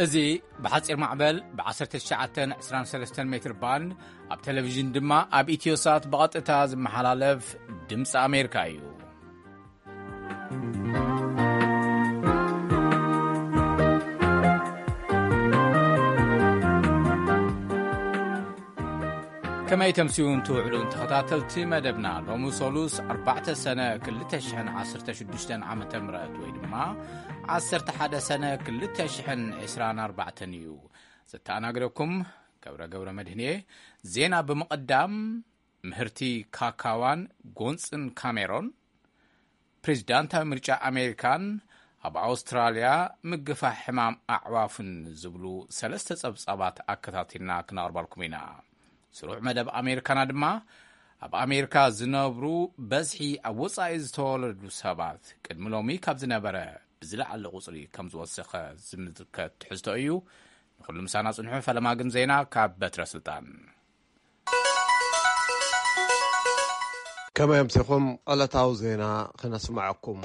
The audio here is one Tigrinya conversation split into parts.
እዚ ብሓጺር ማዕበል ብ19 23 ሜትር ባንድ፣ ኣብ ቴሌቪዥን ድማ ኣብ ኢትዮሳት ብቐጥታ ዝመሓላለፍ ድምፂ ኣሜሪካ እዩ። ከመይ ተምስዩን ትውዕሉን ተኸታተልቲ መደብና፣ ሎሚ ሰሉስ ኣርባዕተ ሰነ ክልተ ሽሕን ዓሰርተ ሽዱሽተን ዓመተ ምህረት ወይ ድማ ዓሰርተ ሓደ ሰነ ክልተ ሽሕን ዕስራን ኣርባዕተን እዩ። ዘተኣናግደኩም ገብረ ገብረ መድህን እየ። ዜና ብምቕዳም፣ ምህርቲ ካካዋን ጎንፅን ካሜሮን፣ ፕሬዚዳንታዊ ምርጫ ኣሜሪካን ኣብ ኣውስትራልያ ምግፋሕ ሕማም ኣዕዋፍን ዝብሉ ሰለስተ ጸብጻባት ኣከታቲልና ክነቕርበልኩም ኢና። ስሩዕ መደብ ኣሜሪካና ድማ ኣብ ኣሜሪካ ዝነብሩ በዝሒ ኣብ ወጻኢ ዝተወለዱ ሰባት ቅድሚ ሎሚ ካብ ዝነበረ ብዝለዓለ ቁጽሪ ከም ዝወሰኸ ዝምልከት ትሕዝቶ እዩ። ንኹሉ ምሳና ጽንሑ። ፈለማ ግን ዜና ካብ በትረ ስልጣን። ከመይ ኣምሲኹም? ዕለታዊ ዜና ክነስምዐኩም።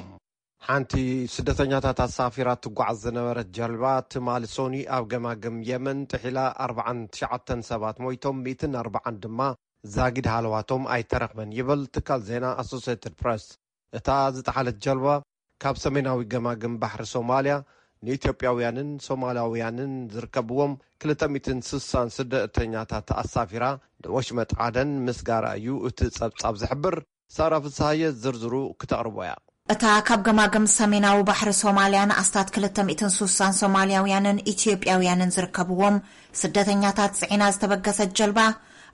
ሓንቲ ስደተኛታት ኣሳፊራ ትጓዓዝ ዝነበረት ጀልባ ትማሊ ሶኒ ኣብ ገማግም የመን ጥሒላ ኣርባዓን ትሽዓተን ሰባት ሞይቶም፣ ሚእትን ኣርባዓን ድማ ዛጊድ ሃለዋቶም ኣይተረኽበን ይብል ትካል ዜና ኣሶሴትድ ፕረስ። እታ ዝጠሓለት ጀልባ ካብ ሰሜናዊ ገማግም ባሕሪ ሶማልያ ንኢትዮጵያውያንን ሶማላውያንን ዝርከብዎም ክልተ ሚእትን ስሳን ስደተኛታት ኣሳፊራ ንወሽመጥ ዓደን ምስጋራ እዩ እቲ ጸብጻብ ዝሕብር። ሳራ ፍስሃየ ዝርዝሩ ክተቕርቦ እያ። እታ ካብ ገማግም ሰሜናዊ ባሕሪ ሶማልያ ንኣስታት ክልተ ሚእትን ስሳን ሶማልያውያንን ኢትዮጵያውያንን ዝርከብዎም ስደተኛታት ጽዒና ዝተበገሰት ጀልባ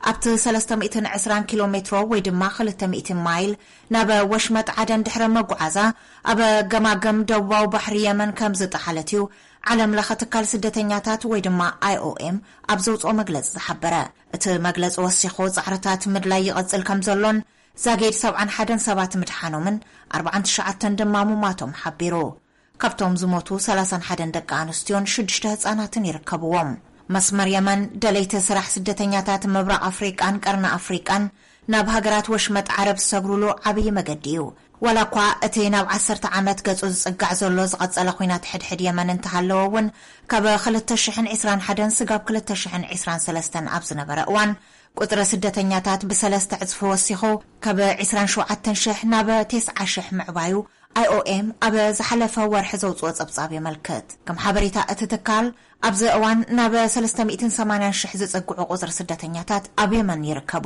ኣብቲ ሰለስተ ሚእትን ዕስራን ኪሎ ሜትሮ ወይ ድማ ክልተ ሚእቲ ማይል ናብ ወሽመጥ ዓደን ድሕሪ ምጉዓዛ፣ ኣብ ገማግም ደቡባዊ ባሕሪ የመን ከም ዝጠሓለት እዩ ዓለም ለኸ ትካል ስደተኛታት ወይ ድማ ኣይኦኤም ኣብ ዘውፅኦ መግለፂ ዝሓበረ። እቲ መግለፂ ወሲኹ፣ ፃዕርታት ምድላይ ይቐፅል ከም ዘሎን ዛጊድ ሰብዓን ሓደን ሰባት ምድሓኖምን ኣርባዓን ትሽዓተን ድማ ምሟቶም ሓቢሩ። ካብቶም ዝሞቱ ሰላሳን ሓደን ደቂ ኣንስትዮን ሽዱሽተ ህጻናትን ይርከብዎም። መስመር የመን፣ ደለይቲ ስራሕ ስደተኛታት ምብራቕ ኣፍሪቃን ቀርኒ ኣፍሪቃን ናብ ሃገራት ወሽመጥ ዓረብ ዝሰግሩሉ ዓብዪ መገዲ እዩ። ዋላ እኳ እቲ ናብ ዓሰርተ ዓመት ገጹ ዝጽጋዕ ዘሎ ዝቐጸለ ኲናት ሕድሕድ የመን እንተሃለወ እውን፣ ካብ ክልተ ሽሕን ዕስራን ሓደን ስጋብ ክልተ ሽሕን ዕስራን ሰለስተን ኣብ ዝነበረ እዋን፣ ቁጽሪ ስደተኛታት ብሰለስተ ዕጽፊ ወሲኹ፣ ካብ ዕስራን ሸውዓተን ሽሕ ናብ ተስዓ ሽሕ ምዕባዩ ኣይኦኤም ኣብ ዝሓለፈ ወርሒ ዘውጽኦ ጸብጻብ የመልክት። ከም ሓበሬታ እቲ ትካል፣ ኣብዚ እዋን ናብ ሰለስተ ሚእትን ሰማንያን ሽሕ ዝጸግዑ ቁጽሪ ስደተኛታት ኣብ የመን ይርከቡ።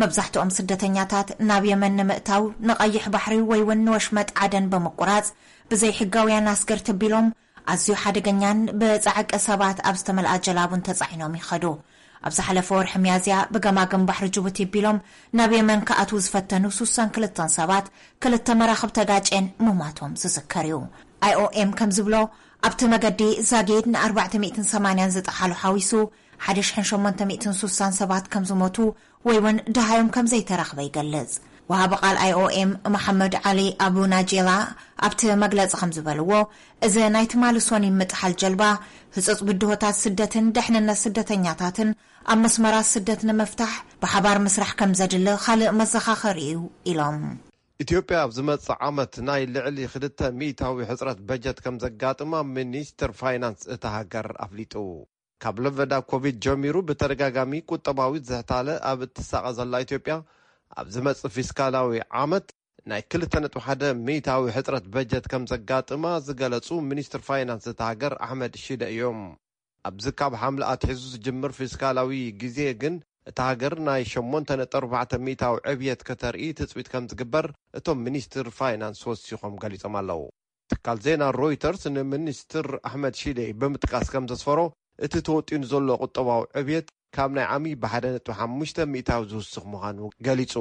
መብዛሕትኦም ስደተኛታት ናብ የመን ንምእታው ንቐይሕ ባሕሪ ወይ እውን ንወሽመጥ ዓደን ብምቁራጽ ብዘይሕጋውያን ኣስገርቲ ኣቢሎም ኣዝዩ ሓደገኛን ብጻዕቂ ሰባት ኣብ ዝተመልኣ ጀላቡን ተጻዒኖም ይኸዱ። ኣብ ዝሓለፈ ወርሒ ሚያዝያ ብገማግም ባሕሪ ጅቡቲ ኣቢሎም ናብ የመን ክኣትዉ ዝፈተኑ ስሳን ክልተን ሰባት ክልተ መራኽብ ተጋጭየን ምሟቶም ዝዝከር እዩ። ኣይኦኤም ከም ዝብሎ፣ ኣብቲ መገዲ ዛጊድ ን ኣርባዕተ ሚእትን ሰማንያን ዝጠሓሉ ሓዊሱ ሓደ ሽሕን ሸሞንተ ሚእትን ስሳን ሰባት ከም ዝሞቱ ወይ እውን ደሃዮም ከም ዘይተረኽበ ይገልጽ። ወሃቢ ቃል ኣይኦኤም መሓመድ ዓሊ ኣቡ ናጄላ ኣብቲ መግለጺ ከም ዝበልዎ፣ እዚ ናይ ትማሊ ሶኒ ምጥሓል ጀልባ ህጹጽ ብድሆታት ስደትን ደሕንነት ስደተኛታትን ኣብ መስመራት ስደት ንምፍታሕ ብሓባር ምስራሕ ከም ዘድሊ ካልእ መዘኻኸሪ እዩ ኢሎም። ኢትዮጵያ ኣብ ዝመጽእ ዓመት ናይ ልዕሊ ክልተ ሚእታዊ ሕጽረት በጀት ከም ዘጋጥማ ሚኒስትር ፋይናንስ እታ ሃገር ኣፍሊጡ። ካብ ለበዳ ኮቪድ ጀሚሩ ብተደጋጋሚ ቁጠባዊ ዝሕታለ ኣብ እትሳቐ ዘላ ኢትዮጵያ፣ ኣብ ዝመጽእ ፊስካላዊ ዓመት ናይ ክልተ ነጥቢ ሓደ ሚእታዊ ሕጽረት በጀት ከም ዘጋጥማ ዝገለጹ ሚኒስትር ፋይናንስ እታ ሃገር ኣሕመድ ሺደ እዮም። ኣብዚ ካብ ሓምለ ኣትሒዙ ዝጅምር ፊስካላዊ ግዜ ግን እታ ሃገር ናይ ሸሞንተ ነጥቢ ኣርባዕተ ሚእታዊ ዕብየት ከተርኢ ትጽቢት ከም ዝግበር እቶም ሚኒስትር ፋይናንስ ወሲኾም ገሊጾም ኣለዉ። ትካል ዜና ሮይተርስ ንሚኒስትር ኣሕመድ ሺዴ ብምጥቃስ ከም ዘስፈሮ፣ እቲ ተወጢኑ ዘሎ ቁጠባዊ ዕብየት ካብ ናይ ዓሚ ብሓደ ነጥቢ ሓሙሽተ ሚእታዊ ዝውስኽ ምዃኑ ገሊጹ።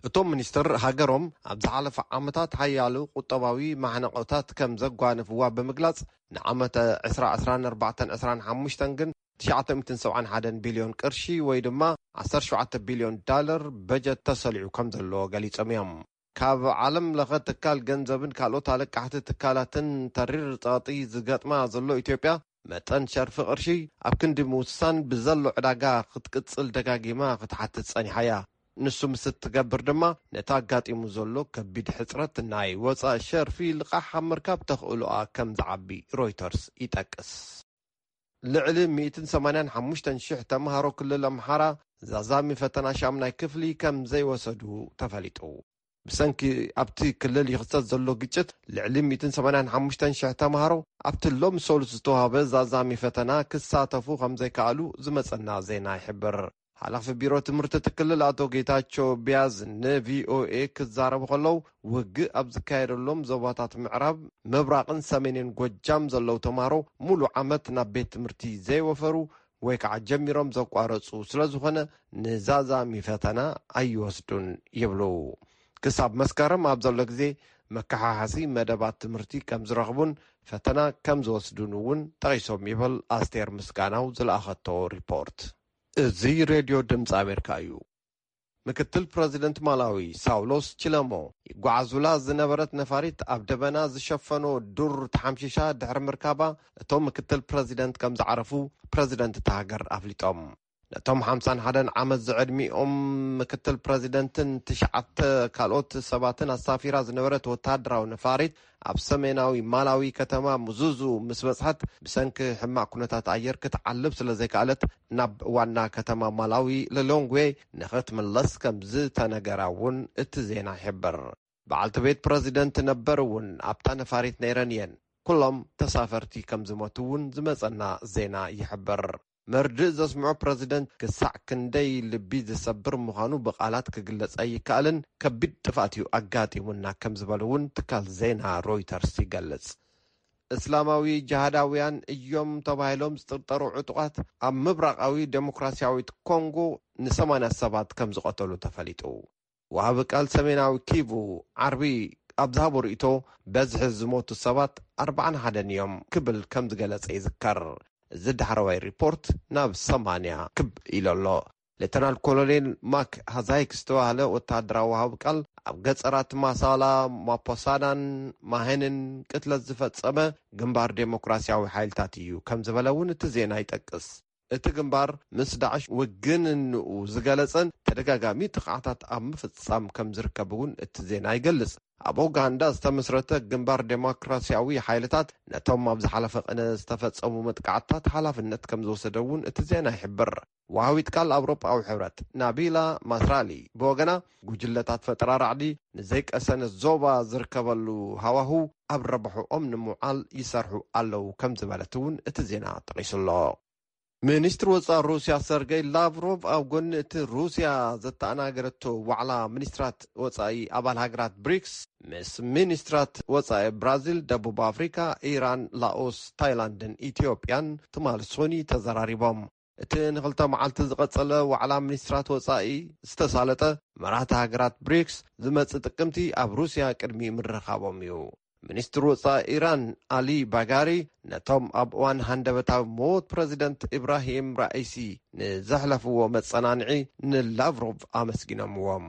እቶም ሚኒስትር፣ ሃገሮም ኣብ ዝሓለፈ ዓመታት ሓያሎ ቁጠባዊ ማሕነቆታት ከም ዘጓነፍዋ ብምግላጽ፣ ንዓመተ ዕስራ ዕስራን ኣርባዕተን ዕስራን ሓሙሽተን ግን ትሽዓተ ሚእትን ሰብዓን ሓደን ቢልዮን ቅርሺ ወይ ድማ ዓሰርተ ሸውዓተ ቢልዮን ዳለር በጀት ተሰሊዑ ከም ዘሎ ገሊጾም እዮም። ካብ ዓለም ለኸ ትካል ገንዘብን ካልኦት ኣለቃሕቲ ትካላትን ተሪር ጸቕጢ ዝገጥማ ዘሎ ኢትዮጵያ፣ መጠን ሸርፊ ቅርሺ ኣብ ክንዲ ምውሳን ብዘሎ ዕዳጋ ክትቅጽል ደጋጊማ ክትሓትት ጸኒሓ እያ። ንሱ ምስ እትገብር ድማ ነቲ ኣጋጢሙ ዘሎ ከቢድ ሕጽረት ናይ ወጻኢ ሸርፊ ልቓሕ ኣብ ምርካብ ተኽእሎኣ ከም ዝዓቢ ሮይተርስ ይጠቅስ። ልዕሊ ሚእትን ሰማንያን ሓሙሽተን ሽሕ ተምሃሮ ክልል ኣምሓራ ዛዛሚ ፈተና ሻምናይ ክፍሊ ከም ዘይወሰዱ ተፈሊጡ። ብሰንኪ ኣብቲ ክልል ይኽሰት ዘሎ ግጭት፣ ልዕሊ ሚእትን ሰማንያን ሓሙሽተን ሽሕ ተምሃሮ ኣብቲ ሎም ሰሉስ ዝተዋህበ ዛዛሚ ፈተና ክሳተፉ ከም ዘይከኣሉ ዝመጸና ዜና ይሕብር። ሓላፊ ቢሮ ትምህርቲ እቲ ክልል ኣቶ ጌታቸው ቢያዝ ንቪኦኤ ክዛረቡ ከለዉ፣ ውግእ ኣብ ዝካየደሎም ዞባታት ምዕራብ፣ ምብራቕን ሰሜንን ጎጃም ዘለዉ ተምሃሮ ሙሉ ዓመት ናብ ቤት ትምህርቲ ዘይወፈሩ ወይ ከዓ ጀሚሮም ዘቋረጹ ስለ ዝኾነ፣ ንዛዛሚ ፈተና ኣይወስዱን ይብሉ። ክሳብ መስከረም ኣብ ዘሎ ግዜ፣ መከሓሓሲ መደባት ትምህርቲ ከም ዝረኽቡን ፈተና ከም ዝወስዱን እውን ጠቒሶም ይብል ኣስቴር ምስጋናው ዝለኣኸቶ ሪፖርት። እዚ ሬድዮ ድምፂ ኣሜሪካ እዩ። ምክትል ፕረዚደንት ማላዊ ሳውሎስ ቺለሞ፣ ይጓዓዙላ ዝነበረት ነፋሪት ኣብ ደበና ዝሸፈኖ ዱር ተሓምሺሻ ድሕሪ ምርካባ፣ እቶም ምክትል ፕረዚደንት ከም ዝዓረፉ ፕረዚደንት እታ ሃገር ኣፍሊጦም። ነቶም ሓምሳን ሓደን ዓመት ዝዕድሚኦም ምክትል ፕረዚደንትን ትሽዓተ ካልኦት ሰባትን ኣሳፊራ ዝነበረት ወተሃደራዊ ነፋሪት ኣብ ሰሜናዊ ማላዊ ከተማ ሙዙዙ ምስ በጽሐት፣ ብሰንኪ ሕማቕ ኩነታት ኣየር ክትዓልብ ስለ ዘይከኣለት፣ ናብ ዋና ከተማ ማላዊ ሊሎንግዌ ንኽትምለስ ከም ዝተነገራ እውን እቲ ዜና ይሕብር። በዓልቲ ቤት ፕረዚደንት ነበር እውን ኣብታ ነፋሪት ነይረን እየን። ኩሎም ተሳፈርቲ ከም ዝሞቱ እውን ዝመጸና ዜና ይሕብር። መርድእ ዘስምዖ ፕረዚደንት ክሳዕ ክንደይ ልቢ ዝሰብር ምዃኑ ብቓላት ክግለጽ ኣይከኣልን፣ ከቢድ ጥፍኣት እዩ ኣጋጢሙና ከም ዝበሉ እውን ትካል ዜና ሮይተርስ ይገልጽ። እስላማዊ ጅሃዳውያን እዮም ተባሂሎም ዝጥርጠሩ ዕጡቓት ኣብ ምብራቓዊ ዴሞክራሲያዊት ኮንጎ ንሰማንያ ሰባት ከም ዝቐተሉ ተፈሊጡ። ወሃቢ ቃል ሰሜናዊ ኪቩ ዓርቢ ኣብ ዝሃቦ ርእይቶ፣ በዝሒ ዝሞቱ ሰባት ኣርብዓን ሓደን እዮም ክብል ከም ዝገለጸ ይዝከር። እዚ ዳሕረዋይ ሪፖርት ናብ ሰማንያ ክብ ኢሉ ኣሎ። ሌተናል ኮሎኔል ማክ ሃዛይክ ዝተባህለ ወተሃደራዊ ወሃቢ ቃል፣ ኣብ ገጸራት ማሳላ፣ ማፖሳናን ማሄንን ቅትለት ዝፈጸመ ግንባር ዴሞክራሲያዊ ሓይልታት እዩ ከም ዝበለ እውን እቲ ዜና ይጠቅስ። እቲ ግንባር ምስ ዳዕሽ ውግንንኡ ዝገለጸን ተደጋጋሚ ጥቕዓታት ኣብ ምፍጻም ከም ዝርከብ እውን እቲ ዜና ይገልጽ። ኣብ ኡጋንዳ ዝተመስረተ ግንባር ዴሞክራሲያዊ ሓይልታት ነቶም ኣብ ዝሓለፈ ቅነ ዝተፈጸሙ መጥቃዕትታት ሓላፍነት ከም ዝወሰደ እውን እቲ ዜና ይሕብር። ወሃቢት ቃል ኣውሮጳዊ ሕብረት ናቢላ ማስራሊ ብወገና፣ ጉጅለታት ፈጠራ ራዕዲ ንዘይቀሰነ ዞባ ዝርከበሉ ሃዋህው ኣብ ረብሕኦም ንምውዓል ይሰርሑ ኣለዉ ከም ዝበለት እውን እቲ ዜና ጠቒሱ ኣሎ። ሚኒስትሪ ወጻኢ ሩስያ ሰርገይ ላቭሮቭ ኣብ ጎኒ እቲ ሩስያ ዘተኣናገረቶ ዋዕላ ሚኒስትራት ወጻኢ ኣባል ሃገራት ብሪክስ ምስ ሚኒስትራት ወጻኢ ብራዚል፣ ደቡብ ኣፍሪካ፣ ኢራን፣ ላኦስ፣ ታይላንድን ኢትዮጵያን ትማሊ ሶኒ ተዘራሪቦም። እቲ ንኽልተ መዓልቲ ዝቐጸለ ዋዕላ ሚኒስትራት ወጻኢ ዝተሳለጠ መራሕቲ ሃገራት ብሪክስ ዝመጽእ ጥቅምቲ ኣብ ሩስያ ቅድሚ ምርኻቦም እዩ። ሚኒስትር ወጻኢ ኢራን ኣሊ ባጋሪ ነቶም ኣብ እዋን ሃንደበታዊ ሞት ፕረዚደንት ኢብራሂም ራኢሲ ንዘሕለፍዎ መጸናንዒ ንላቭሮቭ ኣመስጊኖምዎም።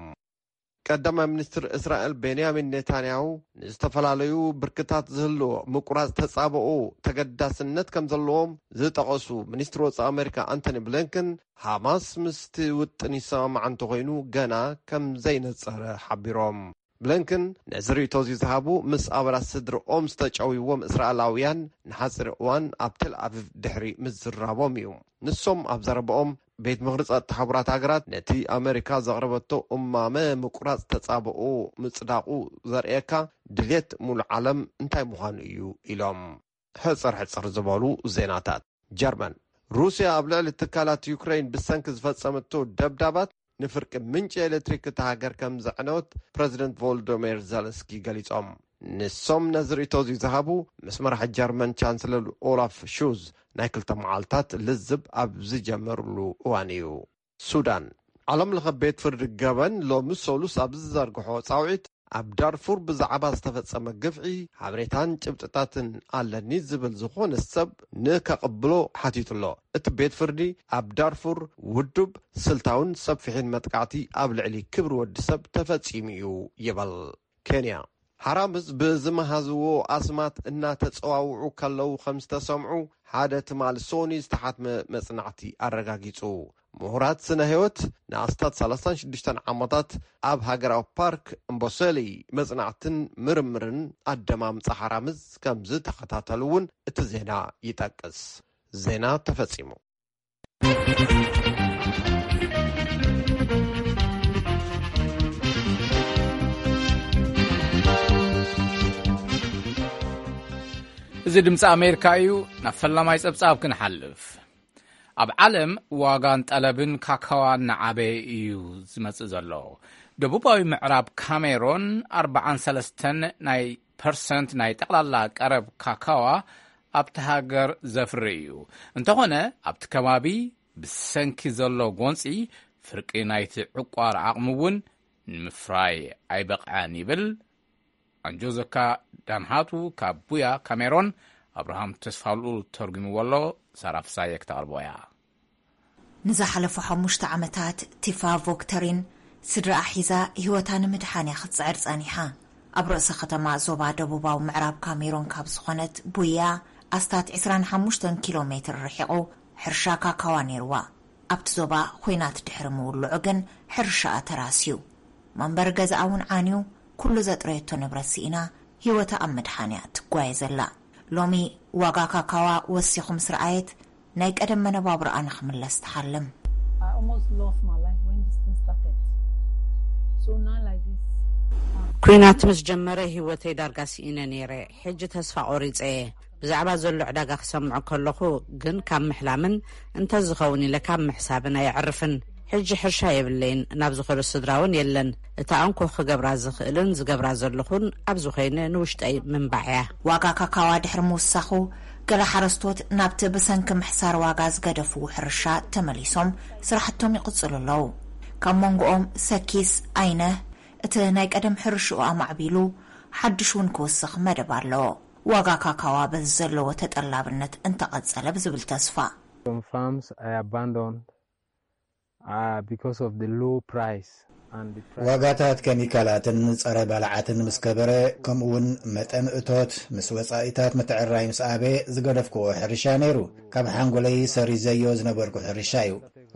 ቀዳማይ ሚኒስትር እስራኤል ቤንያሚን ኔታንያሁ ንዝተፈላለዩ ብርክታት ዝህልዎ ምቁራጽ ተጻብኦ ተገዳስነት ከም ዘለዎም ዝጠቐሱ ሚኒስትር ወጻኢ ኣሜሪካ ኣንቶኒ ብሊንከን፣ ሃማስ ምስቲ ውጥን ይሰማማዕ እንተኾይኑ ገና ከም ዘይነጸረ ሓቢሮም። ብሊንከን ነዚ ርእይቶ እዚ ዝሃቡ ምስ ኣባላት ስድርኦም ዝተጨውይዎም እስራኤላውያን ንሓጺር እዋን ኣብ ቴል ኣቪቭ ድሕሪ ምዝራቦም እዩ። ንሶም ኣብ ዘረባኦም፣ ቤት ምኽሪ ጸጥታ ሕቡራት ሃገራት ነቲ ኣመሪካ ዘቕረበቶ እማመ ምቁራጽ ተጻብኦ ምጽዳቑ ዘርእየካ ድልየት ሙሉእ ዓለም እንታይ ምዃኑ እዩ ኢሎም። ሕጽር ሕጽር ዝበሉ ዜናታት። ጀርመን፣ ሩስያ ኣብ ልዕሊ ትካላት ዩክሬን ብሰንኪ ዝፈጸመቶ ደብዳባት ንፍርቂ ምንጪ ኤሌክትሪክ እታ ሃገር ከም ዘዕነወት ፕረዚደንት ቮሎዶሚር ዘለንስኪ ገሊጾም። ንሶም ነዚ ርእይቶ እዚ ዝሃቡ ምስ መራሒ ጀርመን ቻንስለር ኦላፍ ሹዝ ናይ ክልተ መዓልታት ልዝብ ኣብ ዝጀመርሉ እዋን እዩ። ሱዳን፣ ዓለም ለኸ ቤት ፍርዲ ገበን ሎሚ ሰሉስ ኣብ ዝዘርግሖ ጻውዒት፣ ኣብ ዳርፉር ብዛዕባ ዝተፈጸመ ግፍዒ ሓበሬታን ጭብጥታትን ኣለኒ ዝብል ዝኾነ ሰብ ንከቕብሎ ሓቲቱ ኣሎ። እቲ ቤት ፍርዲ ኣብ ዳርፉር ውዱብ፣ ስልታውን ሰፊሕን መጥቃዕቲ ኣብ ልዕሊ ክብሪ ወዲ ሰብ ተፈጺሙ እዩ ይብል። ኬንያ፣ ሓራምዝ ብዝመሃዝዎ ኣስማት እናተጸዋውዑ ከለዉ ከም ዝተሰምዑ ሓደ ትማሊ ሶኒ ዝተሓትመ መጽናዕቲ ኣረጋጊጹ። ምሁራት ስነ ህይወት ንኣስታት ሰላሳን ሽዱሽተን ዓመታት ኣብ ሃገራዊ ፓርክ እምቦሰሊ መጽናዕትን ምርምርን ኣደማምጻ ሓራምዝ ከም ዝተኸታተሉ እውን እቲ ዜና ይጠቅስ። ዜና ተፈጺሙ። እዚ ድምፂ ኣሜሪካ እዩ። ናብ ፈላማይ ጸብጻብ ክንሓልፍ። ኣብ ዓለም ዋጋን ጠለብን ካካዋ እናዓበየ እዩ ዝመጽእ ዘሎ። ደቡባዊ ምዕራብ ካሜሮን ኣርባዓን ሰለስተን ናይ ፐርሰንት ናይ ጠቕላላ ቀረብ ካካዋ ኣብቲ ሃገር ዘፍሪ እዩ። እንተኾነ ኣብቲ ከባቢ ብሰንኪ ዘሎ ጎንፂ ፍርቂ ናይቲ ዕቋር ዓቕሚ እውን ንምፍራይ ኣይበቕዐን ይብል። ኣንጆዘካ ዳንሃቱ ካብ ቡያ ካሜሮን፣ ኣብርሃም ተስፋልኡ ተርጉምዎ ኣሎ። ሳራ ፍሳየ ክተቕርቦ እያ። ንዝሓለፉ ሓሙሽተ ዓመታት ቲፋ ቮክተሪን ስድራኣ ሒዛ ህይወታ ንምድሓን እያ ክትጽዕር ጸኒሓ። ኣብ ርእሰ ከተማ ዞባ ደቡባዊ ምዕራብ ካሜሮን ካብ ዝኾነት ቡያ ኣስታት ዕስራን ሓሙሽተን ኪሎ ሜትር ርሒቑ ሕርሻ ካካዋ ነይርዋ። ኣብቲ ዞባ ኹናት ድሕሪ ምውልዑ ግን ሕርሻኣ ተራስዩ። መንበሪ ገዛኣ እውን ዓንዩ፣ ኩሉ ዘጥረየቶ ንብረት ስኢና፣ ህይወታ ኣብ ምድሓን እያ ትጓየ ዘላ። ሎሚ ዋጋ ካካዋ ወሲኹ ምስ ረኣየት፣ ናይ ቀደም መነባብሮኣ ንኽምለስ ትሓልም። I almost lost my life when this thing started. So now like this, ኩናት ምስ ጀመረ ህይወተይ ዳርጋ ስኢነ ነይረ። ሕጂ ተስፋ ቆሪጸ እየ። ብዛዕባ ዘሎ ዕዳጋ ክሰምዕ ከለኹ ግን ካብ ምሕላምን እንተዝኸውን ኢለ ካብ ምሕሳብን ኣየዕርፍን። ሕጂ ሕርሻ የብለይን፣ ናብ ዝኸዶ ስድራ እውን የለን። እታ እንኮ ክገብራ ዝኽእልን ዝገብራ ዘለኹን ኣብዚ ኮይነ ንውሽጠይ ምንባዕ እያ። ዋጋ ካካዋ ድሕሪ ምውሳኹ፣ ገለ ሓረስቶት ናብቲ ብሰንኪ ምሕሳር ዋጋ ዝገደፍዎ ሕርሻ ተመሊሶም ስራሕቶም ይቕጽሉ ኣለዉ። ካብ መንጎኦም ሰኪስ ኣይነህ እቲ ናይ ቀደም ሕርሽኡ ኣማዕቢሉ ሓድሽ እውን ክውስኽ መደብ ኣለዎ። ዋጋ ካካዋ በዚ ዘለዎ ተጠላብነት እንተቐጸለ ብዝብል ተስፋ። Some farms I abandoned, uh, because of the low price and the price. ዋጋታት ኬሚካላትን ጸረ ባልዓትን ምስ ከበረ፣ ከምኡውን መጠን እቶት ምስ ወጻኢታት ምትዕርራይ ምስ ኣበየ ዝገደፍክዎ ሕርሻ ነይሩ። ካብ ሓንጎለይ ሰሪዘዮ ዝነበርኩ ሕርሻ እዩ።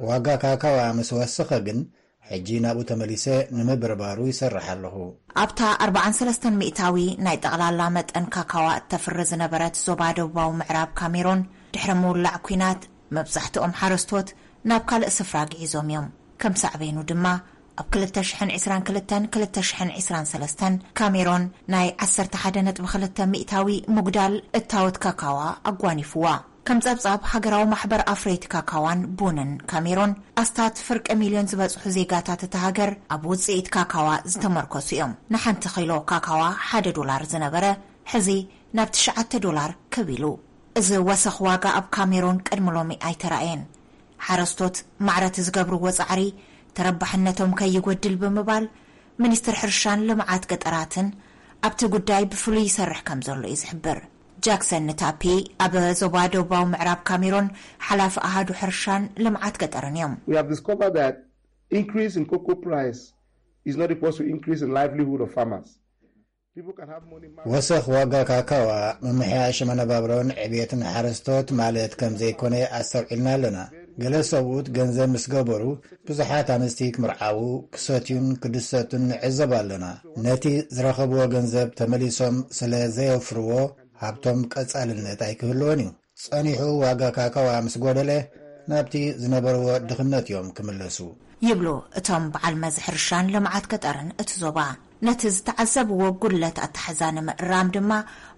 ዋጋ ካካዋ ምስ ወሰኸ ግን ሕጂ ናብኡ ተመሊሰ ንምብርባሩ ይሰርሕ ኣለኹ። ኣብታ ኣርባዓን ሰለስተን ሚእታዊ ናይ ጠቕላላ መጠን ካካዋ እተፍሪ ዝነበረት ዞባ ደቡባዊ ምዕራብ ካሜሮን ድሕሪ ምውላዕ ኲናት መብዛሕትኦም ሓረስቶት ናብ ካልእ ስፍራ ግዒዞም እዮም። ከም ሳዕቤኑ ድማ ኣብ ክልተ ሽሕን ዕስራን ክልተን ክልተ ሽሕን ዕስራን ሰለስተን ካሜሮን ናይ ዓሰርተ ሓደ ነጥቢ ክልተ ሚእታዊ ምጉዳል እታወት ካካዋ ኣጓኒፍዋ። ከም ጸብጻብ ሃገራዊ ማሕበር ኣፍረይቲ ካካዋን ቡንን ካሜሮን፣ ኣስታት ፍርቂ ሚልዮን ዝበጽሑ ዜጋታት እታ ሃገር ኣብ ውጽኢት ካካዋ ዝተመርኮሱ እዮም። ንሓንቲ ኪሎ ካካዋ ሓደ ዶላር ዝነበረ፣ ሕዚ ናብ ትሽዓተ ዶላር ክብ ኢሉ። እዚ ወሰኽ ዋጋ ኣብ ካሜሮን ቅድሚ ሎሚ ኣይተራእየን። ሓረስቶት ማዕረ እቲ ዝገብርዎ ጻዕሪ ተረባሕነቶም ከይጎድል ብምባል፣ ሚኒስትር ሕርሻን ልምዓት ገጠራትን ኣብቲ ጉዳይ ብፍሉይ ይሰርሕ ከም ዘሎ እዩ ዝሕብር። ጃክሰን ንታፒ ኣብ ዞባ ደቡባዊ ምዕራብ ካሜሮን ሓላፊ ኣሃዱ ሕርሻን ልምዓት ገጠርን እዮም። We have discovered that increase in cocoa price is not equal to increase in livelihood of farmers. People can have money. ወሰኽ ዋጋ ካካዋ ምምሕያሽ መነባብሮን ዕቤትን ሓረስቶት ማለት ከም ዘይኮነ ኣስተውዒልና ኣለና። ገለ ሰብኡት ገንዘብ ምስ ገበሩ፣ ብዙሓት ኣንስቲ ክምርዓዉ፣ ክሰትዩን ክድሰቱን ንዕዘብ ኣለና። ነቲ ዝረኸብዎ ገንዘብ ተመሊሶም ስለ ዘየውፍርዎ፣ ሃብቶም ቀጻልነት ኣይክህልዎን እዩ። ጸኒሑ ዋጋ ካካዋ ምስ ጎደለ፣ ናብቲ ዝነበርዎ ድኽነት እዮም ክምለሱ። ይብሉ እቶም በዓል መዚ ሕርሻን ልምዓት ገጠርን እቲ ዞባ። ነቲ ዝተዓዘብዎ ጉድለት ኣተሓዛ ንምእራም ድማ፣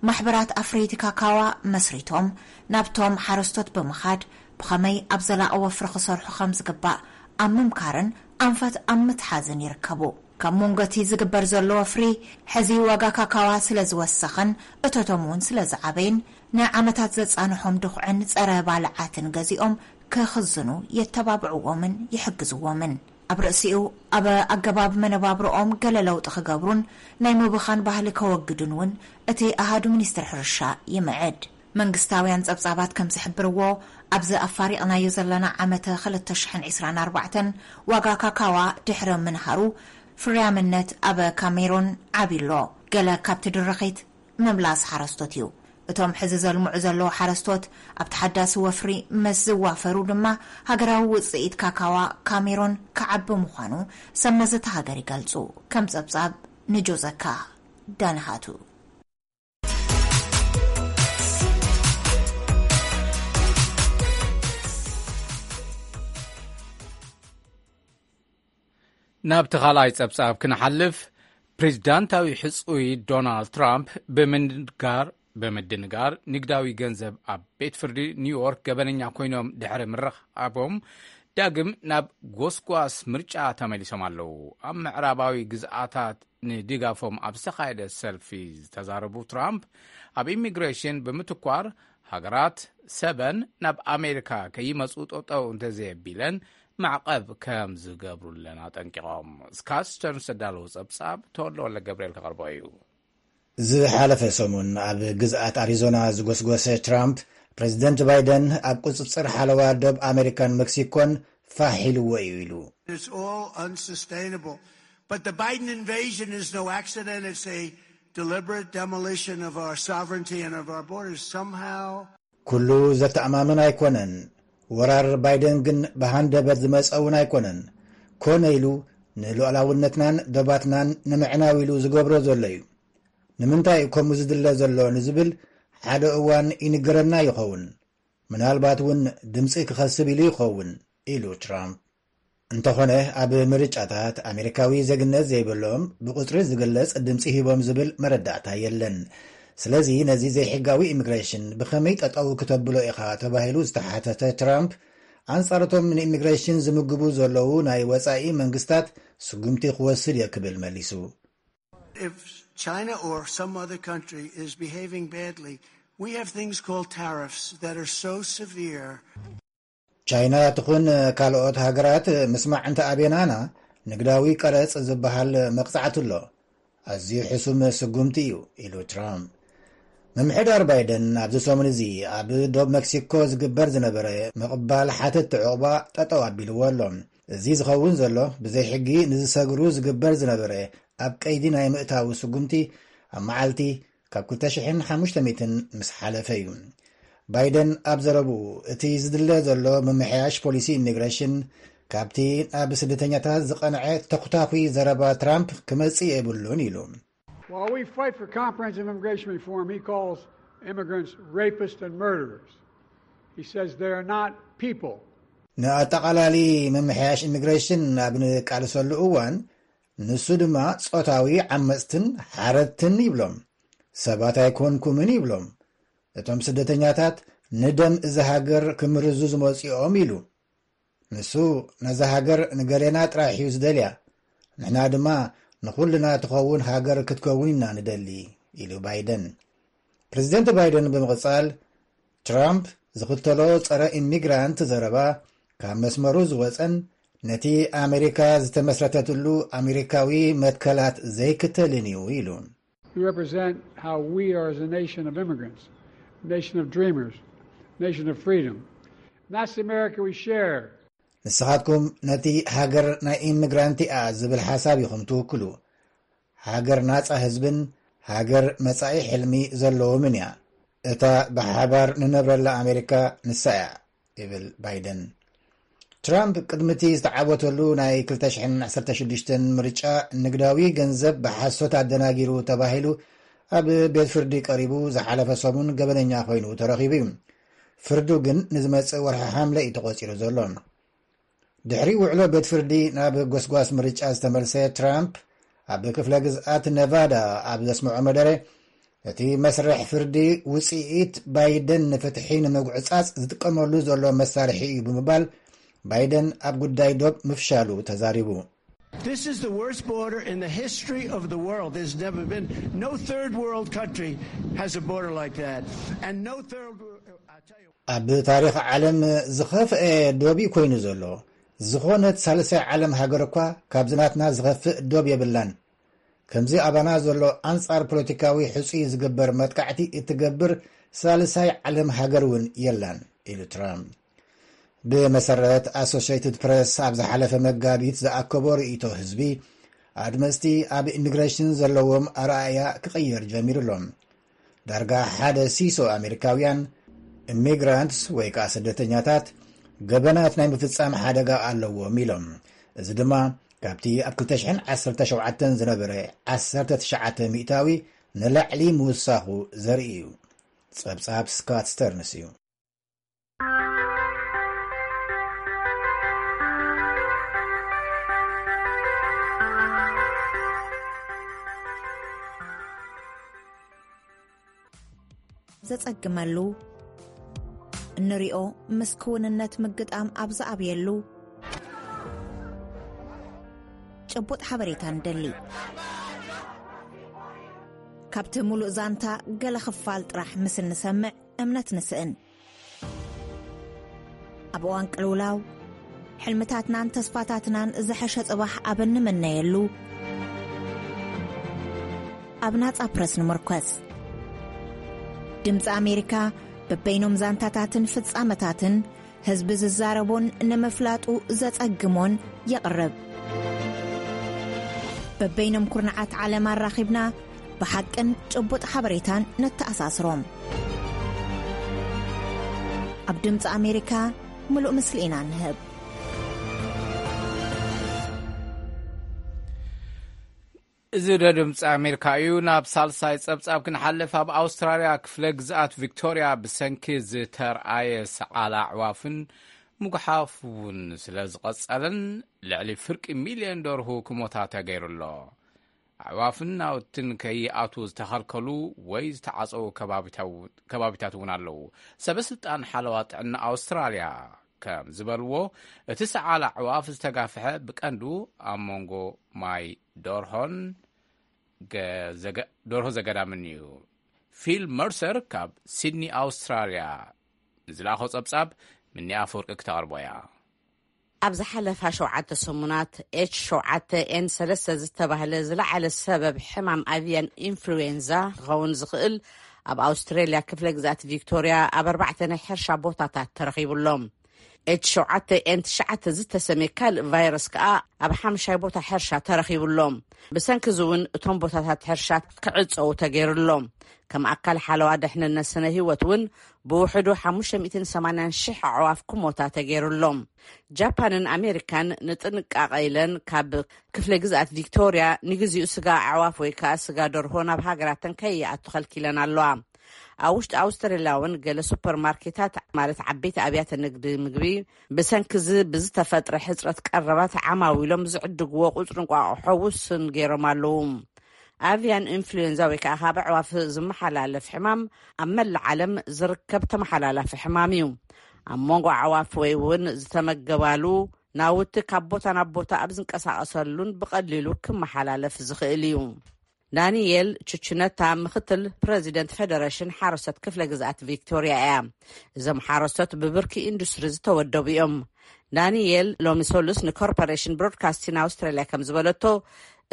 ማሕበራት ኣፍረይቲ ካካዋ መስሪቶም ናብቶም ሓረስቶት ብምኻድ፣ ብኸመይ ኣብ ዘላቒ ወፍሪ ክሰርሑ ከም ዝግባእ ኣብ ምምካርን ኣንፈት ኣብ ምትሓዝን ይርከቡ። ካብ መንጎ እቲ ዝግበር ዘሎ ወፍሪ፣ ሕዚ ዋጋ ካካዋ ስለ ዝወሰኸን እቶቶም እውን ስለ ዝዓበየን፣ ንዓመታት ዘጻንሖም ድኹዕን ጸረ ባልዓትን ገዚኦም ክኽዝኑ የተባብዕዎምን ይሕግዝዎምን። ኣብ ርእሲኡ፣ ኣብ ኣገባብ መነባብሮኦም ገለ ለውጢ ክገብሩን ናይ ምብኻን ባህሊ ከወግዱን እውን እቲ ኣሃዱ ሚኒስትሪ ሕርሻ ይምዕድ። መንግስታውያን ጸብጻባት ከም ዝሕብርዎ፣ ኣብዚ ኣፋሪቕናዮ ዘለና ዓመተ ክልተ ሽሕን ዕስራን ኣርባዕተን ዋጋ ካካዋ ድሕሪ ምንሃሩ፣ ፍርያምነት ኣብ ካሜሮን ዓብዩ ኣሎ። ገለ ካብቲ ድርኺት ምምላስ ሓረስቶት እዩ። እቶም ሕዚ ዘልምዑ ዘለዉ ሓረስቶት ኣብቲ ሓዳሲ ወፍሪ ምስ ዝዋፈሩ ድማ፣ ሃገራዊ ውጽኢት ካካዋ ካሜሮን ክዓቢ ምዃኑ ሰብ መዚ እታ ሃገር ይገልጹ። ከም ጸብጻብ ንጆዘካ ዳንሃቱ። ናብቲ ካልኣይ ጸብጻብ ክንሓልፍ፣ ፕሬዚዳንታዊ ሕጹይ ዶናልድ ትራምፕ ብምንጋር ብምድንጋር ንግዳዊ ገንዘብ ኣብ ቤት ፍርዲ ኒውዮርክ ገበነኛ ኮይኖም ድሕሪ ምርኻቦም፣ ዳግም ናብ ጎስጓስ ምርጫ ተመሊሶም ኣለዉ። ኣብ ምዕራባዊ ግዝኣታት ንድጋፎም ኣብ ዝተኻየደ ሰልፊ ዝተዛረቡ ትራምፕ፣ ኣብ ኢሚግሬሽን ብምትኳር፣ ሃገራት ሰበን ናብ ኣሜሪካ ከይመጹ ጠጠው እንተዘየቢለን ማዕቐብ ከም ዝገብሩለን ኣጠንቂቖም። ስካት ስተርንስ ዘዳለዎ ጸብጻብ ተወልደ ወልደ ገብርኤል ከቕርቦ እዩ። ዝሓለፈ ሰሙን ኣብ ግዝኣት ኣሪዞና ዝጎስጎሰ ትራምፕ፣ ፕሬዚደንት ባይደን ኣብ ቁጽጽር ሓለዋ ዶብ ኣሜሪካን ሜክሲኮን ፋሕ ኢልዎ እዩ ኢሉ። It's all unsustainable. But the Biden invasion is no accident. It's a deliberate demolition of our sovereignty and of our borders. Somehow, ኩሉ ዘተኣማምን ኣይኮነን። ወራር ባይደን ግን ብሃንደበት ዝመጸ እውን ኣይኮነን። ኮነ ኢሉ ንሉዓላውነትናን ዶባትናን ንምዕናው ኢሉ ዝገብሮ ዘሎ እዩ። ንምንታይ እዩ ከምኡ ዝድለ ዘሎ ንዝብል ሓደ እዋን ይንገረና ይኸውን። ምናልባት እውን ድምፂ ክኸስብ ኢሉ ይኸውን፣ ኢሉ ትራምፕ። እንተኾነ፣ ኣብ ምርጫታት ኣሜሪካዊ ዜግነት ዘይብሎም ብቁፅሪ ዝግለጽ ድምፂ ሂቦም ዝብል መረዳእታ የለን። ስለዚ ነዚ ዘይሕጋዊ ኢሚግሬሽን ብኸመይ ጠጠው ክተብሎ ኢኻ ተባሂሉ ዝተሓተተ ትራምፕ፣ ኣንጻርቶም ንኢሚግሬሽን ዝምግቡ ዘለዉ ናይ ወጻኢ መንግስታት ስጉምቲ ክወስድ እየ ክብል መሊሱ። If China or some other country is behaving badly, we have things called tariffs that are so severe. ቻይና ትኹን ካልኦት ሃገራት ምስማዕ እንተ ኣቤናና፣ ንግዳዊ ቀረጽ ዝበሃል መቕጻዕቲ ኣሎ። ኣዝዩ ሕሱም ስጉምቲ እዩ፣ ኢሉ ትራምፕ። ምምሕዳር ባይደን ኣብዚ ሰሙን እዚ ኣብ ዶብ መክሲኮ ዝግበር ዝነበረ ምቕባል ሓተቲ ዕቑባ ጠጠው ኣቢልዎ ኣሎ። እዚ ዝኸውን ዘሎ፣ ብዘይ ሕጊ ንዝሰግሩ ዝግበር ዝነበረ ኣብ ቀይዲ ናይ ምእታው ስጉምቲ፣ ኣብ መዓልቲ ካብ ክልተ ሽሕን ሓሙሽተ ሚእትን ምስ ሓለፈ እዩ። ባይደን ኣብ ዘረብኡ፣ እቲ ዝድለ ዘሎ ምምሕያሽ ፖሊሲ ኢሚግሬሽን፣ ካብቲ ናብ ስደተኛታት ዝቐንዐ ተኹታኹይ ዘረባ ትራምፕ ክመጽእ የብሉን ኢሉ። While we fight for comprehensive immigration reform, he calls immigrants rapists and murderers. He says they are not people. ንኣጠቓላሊ ምምሕያሽ ኢሚግሬሽን ኣብ ንቃልሰሉ እዋን፣ ንሱ ድማ ጾታዊ ዓመጽትን ሓረድትን ይብሎም። ሰባት ኣይኮንኩምን ይብሎም። እቶም ስደተኛታት ንደም እዛ ሃገር ክምርዙ ዝመጽኦም ኢሉ። ንሱ ነዛ ሃገር ንገሌና ጥራሕ እዩ ዝደልያ፣ ንሕና ድማ ንኹልና ትኸውን ሃገር ክትከውን ኢና ንደሊ፣ ኢሉ ባይደን። ፕሬዚደንት ባይደን ብምቕጻል፣ ትራምፕ ዝኽተሎ ጸረ ኢሚግራንት ዘረባ ካብ መስመሩ ዝወጸን ነቲ ኣሜሪካ ዝተመስረተትሉ ኣሜሪካዊ መትከላት ዘይክተልን እዩ ኢሉ። You represent how we are as a nation of immigrants, a nation of dreamers, a nation of freedom. And that's the America we share. ንስኻትኩም ነቲ ሃገር ናይ ኢሚግራንት እያ ዝብል ሓሳብ ኢኹም ትውክሉ። ሃገር ናጻ ህዝብን ሃገር መጻኢ ሕልሚ ዘለዎምን እያ። እታ ብሓባር ንነብረላ ኣሜሪካ ንሳ እያ፣ ይብል ባይደን። ትራምፕ ቅድሚ እቲ ዝተዓወተሉ ናይ ክልተ ሽሕን ዓሰርተ ሽዱሽተን ምርጫ፣ ንግዳዊ ገንዘብ ብሓሶት ኣደናጊሩ ተባሂሉ ኣብ ቤት ፍርዲ ቀሪቡ ዝሓለፈ ሰሙን ገበነኛ ኮይኑ ተረኺቡ እዩ። ፍርዱ ግን ንዝመጽእ ወርሒ ሓምለ እዩ ተቖጺሩ ዘሎ። ድሕሪ ውዕሎ ቤት ፍርዲ ናብ ጎስጓስ ምርጫ ዝተመልሰ ትራምፕ፣ ኣብ ክፍለ ግዝኣት ነቫዳ ኣብ ዘስምዖ መደረ፣ እቲ መስርሕ ፍርዲ ውጽኢት ባይደን ንፍትሒ ንምጉዕጻጽ ዝጥቀመሉ ዘሎ መሳርሒ እዩ ብምባል፣ ባይደን ኣብ ጉዳይ ዶብ ምፍሻሉ ተዛሪቡ። This is the worst border in the history of the world. There's never been, no third world country has a border like that. And no third, I tell you. ኣብ ታሪኽ ዓለም ዝኸፍአ ዶብ እዩ ኮይኑ ዘሎ። ዝኾነት ሳልሳይ ዓለም ሃገር እኳ ካብዚ ናትና ዝኸፍእ ዶብ የብላን። ከምዚ ኣባና ዘሎ ኣንጻር ፖለቲካዊ ሕጹይ ዝግበር መጥቃዕቲ እትገብር ሳልሳይ ዓለም ሃገር እውን የላን፣ ኢሉ ትራምፕ። ብመሰረት ኣሶሽየትድ ፕረስ ኣብ ዝሓለፈ መጋቢት ዝኣከቦ ርእይቶ ህዝቢ፣ ኣድመፅቲ ኣብ ኢሚግሬሽን ዘለዎም ኣረኣእያ ክቕየር ጀሚሩ ኣሎ። ዳርጋ ሓደ ሲሶ ኣሜሪካውያን፣ ኢሚግራንትስ ወይ ከዓ ስደተኛታት፣ ገበናት ናይ ምፍጻም ሓደጋ ኣለዎም ኢሎም። እዚ ድማ ካብቲ ኣብ ክልተ ሽሕን ዓሰርተ ሸውዓተን ዝነበረ ዓሰርተ ትሽዓተ ሚእታዊ ንላዕሊ ምውሳኹ ዘርኢ እዩ። ጸብጻብ ስካት ስተርንስ እዩ። ዘጸግመሉ፣ እንሪኦ ምስ ክውንነት ምግጣም ኣብ ዝኣብየሉ፣ ጭቡጥ ሓበሬታ ንደሊ። ካብቲ ሙሉእ ዛንታ ገለ ክፋል ጥራሕ ምስ እንሰምዕ እምነት ንስእን። ኣብ እዋን ቅልውላው፣ ሕልምታትናን ተስፋታትናን ዝሐሸ ጽባሕ ኣብ እንምነየሉ፣ ኣብ ናጻ ፕረስ ንምርኮስ። ድምጺ ኣሜሪካ በበይኖም ዛንታታትን ፍጻመታትን ህዝቢ ዝዛረቦን ንምፍላጡ ዘጸግሞን የቕርብ። በበይኖም ኩርናዓት ዓለም ኣራኺብና ብሓቅን ጭቡጥ ሓበሬታን ነተኣሳስሮም። ኣብ ድምፂ ኣሜሪካ ምሉእ ምስሊ ኢና ንህብ። እዚ ዶ ድምፂ ኣሜሪካ እዩ። ናብ ሳልሳይ ፀብፃብ ክንሓልፍ፣ ኣብ ኣውስትራልያ ክፍለ ግዝኣት ቪክቶርያ ብሰንኪ ዝተርኣየ ሰዓል ኣዕዋፍን ምጉሓፍ እውን ስለ ዝቐጸለን፣ ልዕሊ ፍርቂ ሚልዮን ደርሁ ክሞታ ተገይሩ ኣሎ። ኣዕዋፍን ናውትን ከይኣትዉ ዝተኸልከሉ ወይ ዝተዓጸዉ ከባቢታት እውን ኣለዉ። ሰበ ስልጣን ሓለዋ ጥዕና ኣውስትራልያ ከም ዝበልዎ፣ እቲ ሰዓል ኣዕዋፍ ዝተጋፍሐ ብቀንዱ ኣብ መንጎ ማይ ደርሆን ደርሆ ዘገዳምን እዩ። ፊል መርሰር ካብ ሲድኒ ኣውስትራልያ ንዝለኣኾ ጸብጻብ፣ ምኒ ኣፈወርቂ ክተቕርቦ እያ። ኣብ ዝሓለፋ ሸውዓተ ሰሙናት ኤች ሸውዓተ ኤን ሰለስተ ዝተባህለ ዝለዓለ ሰበብ ሕማም ኣቪያን ኢንፍሉዌንዛ ክኸውን ዝኽእል ኣብ ኣውስትሬልያ ክፍለ ግዛት ቪክቶርያ ኣብ ኣርባዕተ ናይ ሕርሻ ቦታታት ተረኺቡ ኣሎ። ኤች ሸውዓተ ኤን ትሽዓተ ዝተሰምየ ካልእ ቫይረስ ከኣ ኣብ ሓምሻይ ቦታ ሕርሻ ተረኺቡ ኣሎ። ብሰንኪ እዚ እውን እቶም ቦታታት ሕርሻ ክዕጸዉ ተገይሩ ኣሎ። ከም ኣካል ሓለዋ ድሕንነት ስነ ህይወት እውን ብውሕዱ ሓሙሽተ ሚእትን ሰማንያን ሽሕ ኣዕዋፍ ክሞታ ተገይሩ ኣሎ። ጃፓንን ኣሜሪካን ንጥንቃቐ ኢለን ካብ ክፍለ ግዝኣት ቪክቶርያ ንግዚኡ ስጋ ኣዕዋፍ ወይ ከዓ ስጋ ደርሆ ናብ ሃገራተን ከይኣቱ ከልኪለን ኣለዋ። ኣብ ውሽጢ ኣውስትራልያ እውን ገለ ሱፐርማርኬታት ማለት ዓበይቲ ኣብያተ ንግዲ ምግቢ ብሰንኪ እዚ ብዝተፈጥረ ሕፅረት ቀረባት ዓማዊሎም ዝዕድግዎ ቁፅሪ እንቋቑሖ ውሱን ገይሮም ኣለዉ። ኣቪያን ኢንፍሉዌንዛ ወይ ከዓ ካብ ኣዕዋፍ ዝመሓላለፍ ሕማም ኣብ መላእ ዓለም ዝርከብ ተመሓላላፊ ሕማም እዩ። ኣብ መንጎ ኣዕዋፍ ወይ እውን ዝተመገባሉ ናውቲ ካብ ቦታ ናብ ቦታ ኣብ ዝንቀሳቐሰሉን ብቐሊሉ ክመሓላለፍ ዝኽእል እዩ። ዳንኤል ቹቹነታ ምኽትል ፕረዚደንት ፌደሬሽን ሓረስቶት ክፍለ ግዝኣት ቪክቶርያ እያ። እዞም ሓረስቶት ብብርኪ ኢንዱስትሪ ዝተወደቡ እዮም። ዳንኤል ሎሚ ሰሉስ ንኮርፖሬሽን ብሮድካስቲን ኣውስትራልያ ከም ዝበለቶ፣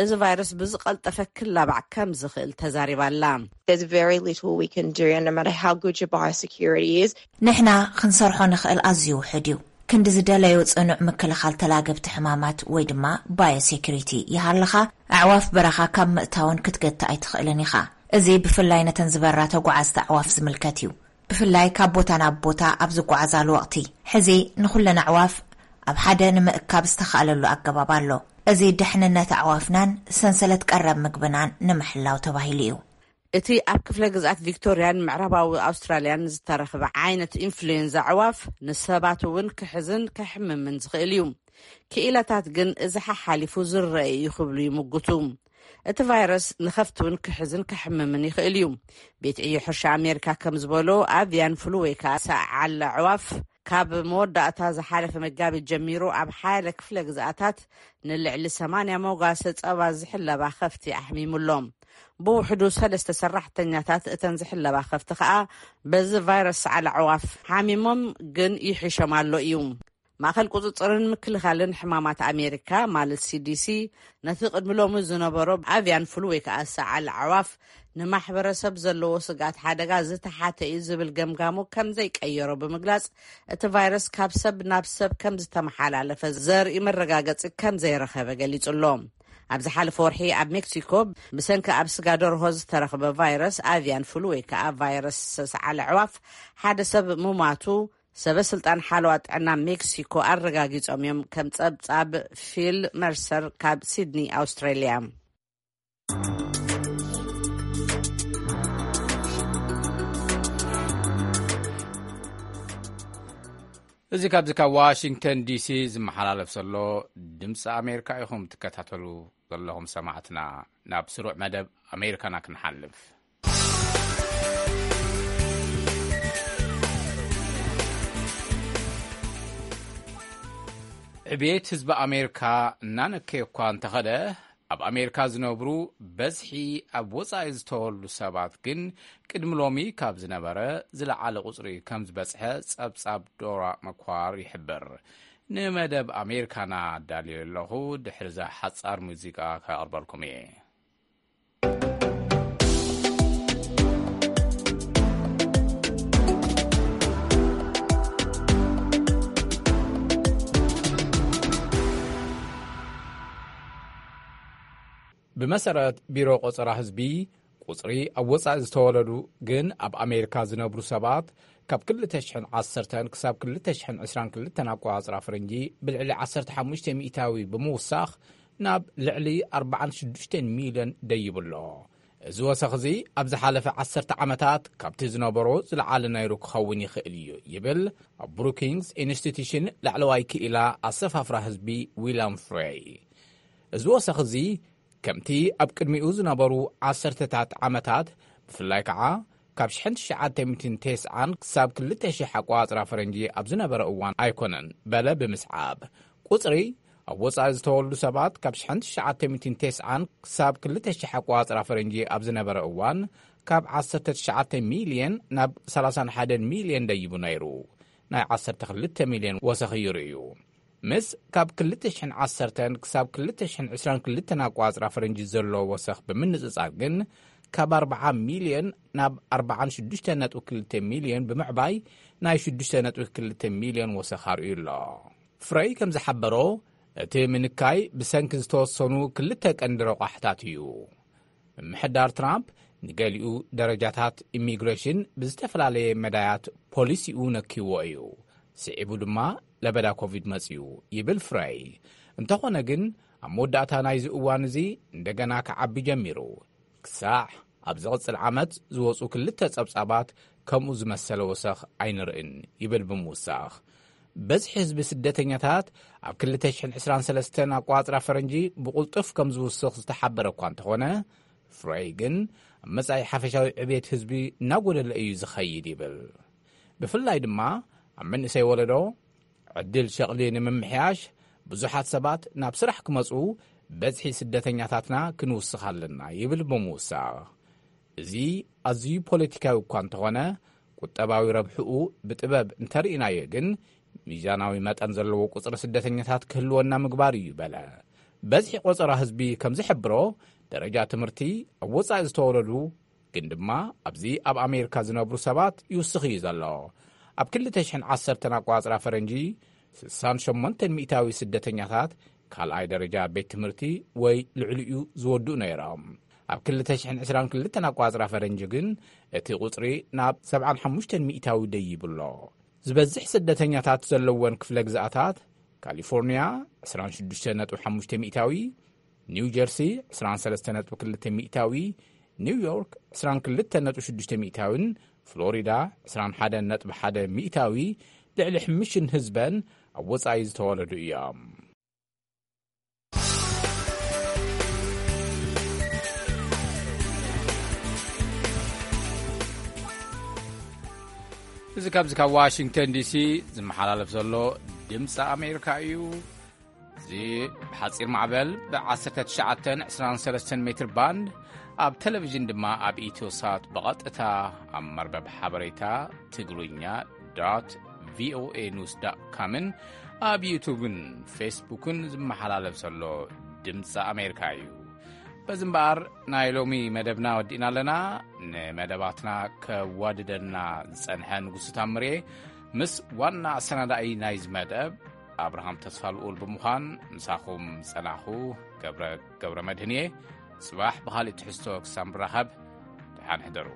እዚ ቫይረስ ብዝቐልጠፈ ክላባዕ ከም ዝኽእል ተዛሪባ ኣላ። There's very little we can do, and no matter how good your biosecurity is. ንሕና ክንሰርሖ ንኽእል ኣዝዩ ውሑድ እዩ። ክንዲ ዝደለዮ ጽኑዕ ምክልኻል ተላገብቲ ሕማማት ወይ ድማ ባዮሴኩሪቲ ይሃልኻ፣ ኣዕዋፍ በረኻ ካብ ምእታወን ክትገትእ ኣይትኽእልን ኢኻ። እዚ ብፍላይ ነተን ዝበራ ተጓዓዝቲ ኣዕዋፍ ዝምልከት እዩ። ብፍላይ ካብ ቦታ ናብ ቦታ ኣብ ዝጓዓዛሉ ወቕቲ። ሕዚ ንኹለን ኣዕዋፍ ኣብ ሓደ ንምእካብ ዝተኻእለሉ ኣገባብ ኣሎ። እዚ ድሕንነት ኣዕዋፍናን ሰንሰለት ቀረብ ምግብናን ንምሕላው ተባሂሉ እዩ። እቲ ኣብ ክፍለ ግዝኣት ቪክቶርያን ምዕራባዊ ኣውስትራልያን ዝተረኽበ ዓይነት ኢንፍሉዌንዛ ኣዕዋፍ ንሰባት እውን ክሕዝን ከሕምምን ዝኽእል እዩ። ክኢላታት ግን እዚ ሓሓሊፉ ዝረአ እዩ ክብሉ ይምጉቱ። እቲ ቫይረስ ንኸፍቲ እውን ክሕዝን ከሕምምን ይኽእል እዩ። ቤት ዕዮ ሕርሻ ኣሜሪካ ከም ዝበሎ፣ ኣቪያን ፍሉ ወይ ከዓ ሰዓል ኣዕዋፍ ካብ መወዳእታ ዝሓለፈ መጋቢት ጀሚሩ ኣብ ሓያለ ክፍለ ግዝኣታት ንልዕሊ ሰማንያ መጓሰ ጸባ ዝሕለባ ከፍቲ ኣሕሚሙ ኣሎ። ብውሕዱ ሰለስተ ሰራሕተኛታት እተን ዝሕለባ ከፍቲ ከኣ በዚ ቫይረስ ሰዓል ኣዕዋፍ ሓሚሞም ግን ይሕሾም ኣሎ እዩ። ማእኸል ቁፅፅርን ምክልኻልን ሕማማት ኣሜሪካ ማለት ሲዲሲ ነቲ ቅድሚ ሎሚ ዝነበሮ ኣቪያን ፍሉ ወይ ከዓ ሰዓል ኣዕዋፍ ንማሕበረሰብ ዘለዎ ስግኣት ሓደጋ ዝተሓተ እዩ ዝብል ገምጋሙ ከም ዘይቀየሮ ብምግላፅ፣ እቲ ቫይረስ ካብ ሰብ ናብ ሰብ ከም ዝተመሓላለፈ ዘርኢ መረጋገፂ ከም ዘይረኸበ ገሊፁ ኣሎ። ኣብ ዝሓለፈ ወርሒ ኣብ ሜክሲኮ ብሰንኪ ኣብ ስጋ ደርሆ ዝተረኽበ ቫይረስ ኣቪያን ፍሉ ወይ ከዓ ቫይረስ ሰዓል ኣዕዋፍ ሓደ ሰብ ምሟቱ ሰበ ስልጣን ሓለዋ ጥዕና ሜክሲኮ ኣረጋጊጾም እዮም። ከም ጸብጻብ ፊል መርሰር ካብ ሲድኒ ኣውስትራልያ። እዚ ካብዚ ካብ ዋሽንግተን ዲሲ ዝመሓላለፍ ዘሎ ድምፂ ኣሜሪካ ኢኹም ትከታተሉ ዘለኹም ሰማዕትና። ናብ ስሩዕ መደብ ኣሜሪካና ክንሓልፍ። ዕቤት ህዝቢ ኣሜሪካ እናነከየ እኳ እንተኸደ፣ ኣብ ኣሜሪካ ዝነብሩ በዝሒ ኣብ ወጻኢ ዝተወልዱ ሰባት ግን ቅድሚ ሎሚ ካብ ዝነበረ ዝለዓለ ቁጽሪ ከም ዝበጽሐ ጸብጻብ ዶራ መኳር ይሕብር። ንመደብ ኣሜሪካና ኣዳልዮ ኣለኹ፣ ድሕሪ እዛ ሓጻር ሙዚቃ ከቕርበልኩም እየ። ብመሰረት ቢሮ ቆጸራ ህዝቢ፣ ቁጽሪ ኣብ ወጻኢ ዝተወለዱ ግን ኣብ ኣሜሪካ ዝነብሩ ሰባት ካብ ክልተ ሽሕን ዓሰርተን ክሳብ ክልተ ሽሕን ዕስራን ክልተን ኣቆጻጽራ ፈረንጂ ብልዕሊ ዓሰርተ ሓሙሽተ ሚእታዊ ብምውሳኽ ናብ ልዕሊ ኣርባዓን ሽዱሽተን ሚልዮን ደይቡ ኣሎ። እዚ ወሰኽ እዚ ኣብ ዝሓለፈ ዓሰርተ ዓመታት ካብቲ ዝነበሮ ዝለዓለ ነይሩ ክኸውን ይኽእል እዩ ይብል ኣብ ብሩኪንግስ ኢንስቲትዩሽን ላዕለዋይ ክኢላ ኣሰፋፍራ ህዝቢ ዊልያም ፍሬይ። እዚ ወሰኽ እዚ ከምቲ ኣብ ቅድሚኡ ዝነበሩ ዓሰርተታት ዓመታት፣ ብፍላይ ከዓ ካብ ሽሕን ትሽዓተ ሚእትን ተስዓን ክሳብ ክልተ ሽሕ ኣቆጻጽራ ፈረንጂ ኣብ ዝነበረ እዋን ኣይኮነን በለ ብምስዓብ፣ ቁጽሪ ኣብ ወጻኢ ዝተወልዱ ሰባት ካብ ሽሕን ትሽዓተ ሚእትን ተስዓን ክሳብ ክልተ ሽሕ ኣቆጻጽራ ፈረንጂ ኣብ ዝነበረ እዋን ካብ ዓሰርተ ትሽዓተ ሚልዮን ናብ ሰላሳን ሓደን ሚልዮን ደይቡ ነይሩ። ናይ ዓሰርተ ክልተ ሚልዮን ወሰኽ እዩ ርእዩ። ምስ ካብ ክልተ ሽሕን ዓሰርተን ክሳብ ክልተ ሽሕን ዕስራን ክልተን ኣቆጻጽራ ፈረንጂ ዘሎ ወሰኽ ብምንጽጻር ግን፣ ካብ ኣርብዓ ሚልዮን ናብ ኣርባዓን ሽዱሽተ ነጥቢ ክልተ ሚልዮን ብምዕባይ ናይ ሽዱሽተ ነጥቢ ክልተ ሚልዮን ወሰኽ ኣርእዩ ኣሎ። ፍረይ ከም ዝሓበሮ፣ እቲ ምንካይ ብሰንኪ ዝተወሰኑ ክልተ ቀንዲ ረቋሕታት እዩ። ምምሕዳር ትራምፕ ንገሊኡ ደረጃታት ኢሚግሬሽን ብዝተፈላለየ መዳያት ፖሊሲኡ ነኪዎ እዩ። ስዒቡ ድማ ለበዳ ኮቪድ መጺኡ ይብል ፍረይ። እንተኾነ ግን ኣብ መወዳእታ ናይዚ እዋን እዚ እንደገና ክዓቢ ጀሚሩ። ክሳዕ ኣብ ዝቕጽል ዓመት ዝወጹ ክልተ ጸብጻባት ከምኡ ዝመሰለ ወሰኽ ኣይንርእን ይብል ብምውሳኽ። በዝሒ ህዝቢ ስደተኛታት ኣብ ክልተ ሽሕን ዕስራን ሰለስተን ኣቋጽራ ፈረንጂ ብቕልጡፍ ከም ዝውስኽ ዝተሓበረ እኳ እንተኾነ፣ ፍሬይ ግን ኣብ መጻኢ ሓፈሻዊ ዕቤት ህዝቢ እናጎደለ እዩ ዝኸይድ ይብል። ብፍላይ ድማ ኣብ መንእሰይ ወለዶ ዕድል ሸቕሊ ንምምሕያሽ ብዙሓት ሰባት ናብ ስራሕ ክመጹ በዝሒ ስደተኛታትና ክንውስኽ ኣለና ይብል ብምውሳኽ። እዚ ኣዝዩ ፖለቲካዊ እኳ እንተኾነ፣ ቁጠባዊ ረብሕኡ ብጥበብ እንተርኢናዮ ግን፣ ሚዛናዊ መጠን ዘለዎ ቁጽሪ ስደተኛታት ክህልወና ምግባር እዩ በለ። በዝሒ ቆጸራ ህዝቢ ከም ዝሕብሮ፣ ደረጃ ትምህርቲ ኣብ ወጻኢ ዝተወለዱ ግን ድማ ኣብዚ ኣብ ኣሜሪካ ዝነብሩ ሰባት ይውስኽ እዩ ዘሎ። ኣብ ክልተ ሽሕን ዓሰርተን ኣቋጽራ ፈረንጂ፣ ስሳን ሸሞንተን ሚእታዊ ስደተኛታት ካልኣይ ደረጃ ቤት ትምህርቲ ወይ ልዕሊኡ ዝወድኡ ነይሮም። ኣብ ክልተ ሽሕን ዕስራን ክልተን ኣቋጽራ ፈረንጂ ግን፣ እቲ ቁጽሪ ናብ ሰብዓን ሓሙሽተን ሚእታዊ ደይቡ ኣሎ። ዝበዝሕ ስደተኛታት ዘለወን ክፍለ ግዝኣታት፣ ካሊፎርኒያ ዕስራን ሽዱሽተ ነጥቢ ሓሙሽተ ሚእታዊ፣ ኒው ጀርሲ ዕስራን ሰለስተ ነጥቢ ክልተ ሚእታዊ፣ ኒው ዮርክ ዕስራን ክልተ ነጥቢ ሽዱሽተ ሚእታዊን ፍሎሪዳ ዕስራን ሓደን ነጥቢ ሓደ ሚእታዊ ልዕሊ ሕምሽን ህዝበን ኣብ ወጻኢ ዝተወለዱ እዮም። እዚ ካብዚ ካብ ዋሽንግተን ዲሲ ዝመሓላለፍ ዘሎ ድምፂ ኣሜሪካ እዩ። እዚ ብሓፂር ማዕበል ብ19 23 ሜትር ባንድ፣ ኣብ ቴሌቪዥን ድማ ኣብ ኢትዮሳት ብቐጥታ ኣብ መርበብ ሓበሬታ ትግርኛ ዶት ቪኦኤ ኒውስ ዶት ኮምን ኣብ ዩቱብን ፌስቡክን ዝመሓላለፍ ዘሎ ድምፂ ኣሜሪካ እዩ። በዚ እምበኣር ናይ ሎሚ መደብና ወዲእና ኣለና። ንመደባትና ከዋድደና ዝጸንሐ ንጉሱ ታምሬ ምስ ዋና ኣሰናዳኢ ናይዚ መደብ ኣብርሃም ተስፋ ልኡል ብምዃን ምሳኹም ጸናኹ። ገብረ፣ ገብረ መድህን እየ። ጽባሕ ብኻልእ ትሕዝቶ ክሳብ ንራኸብ፣ ደሓን ሕደሩ።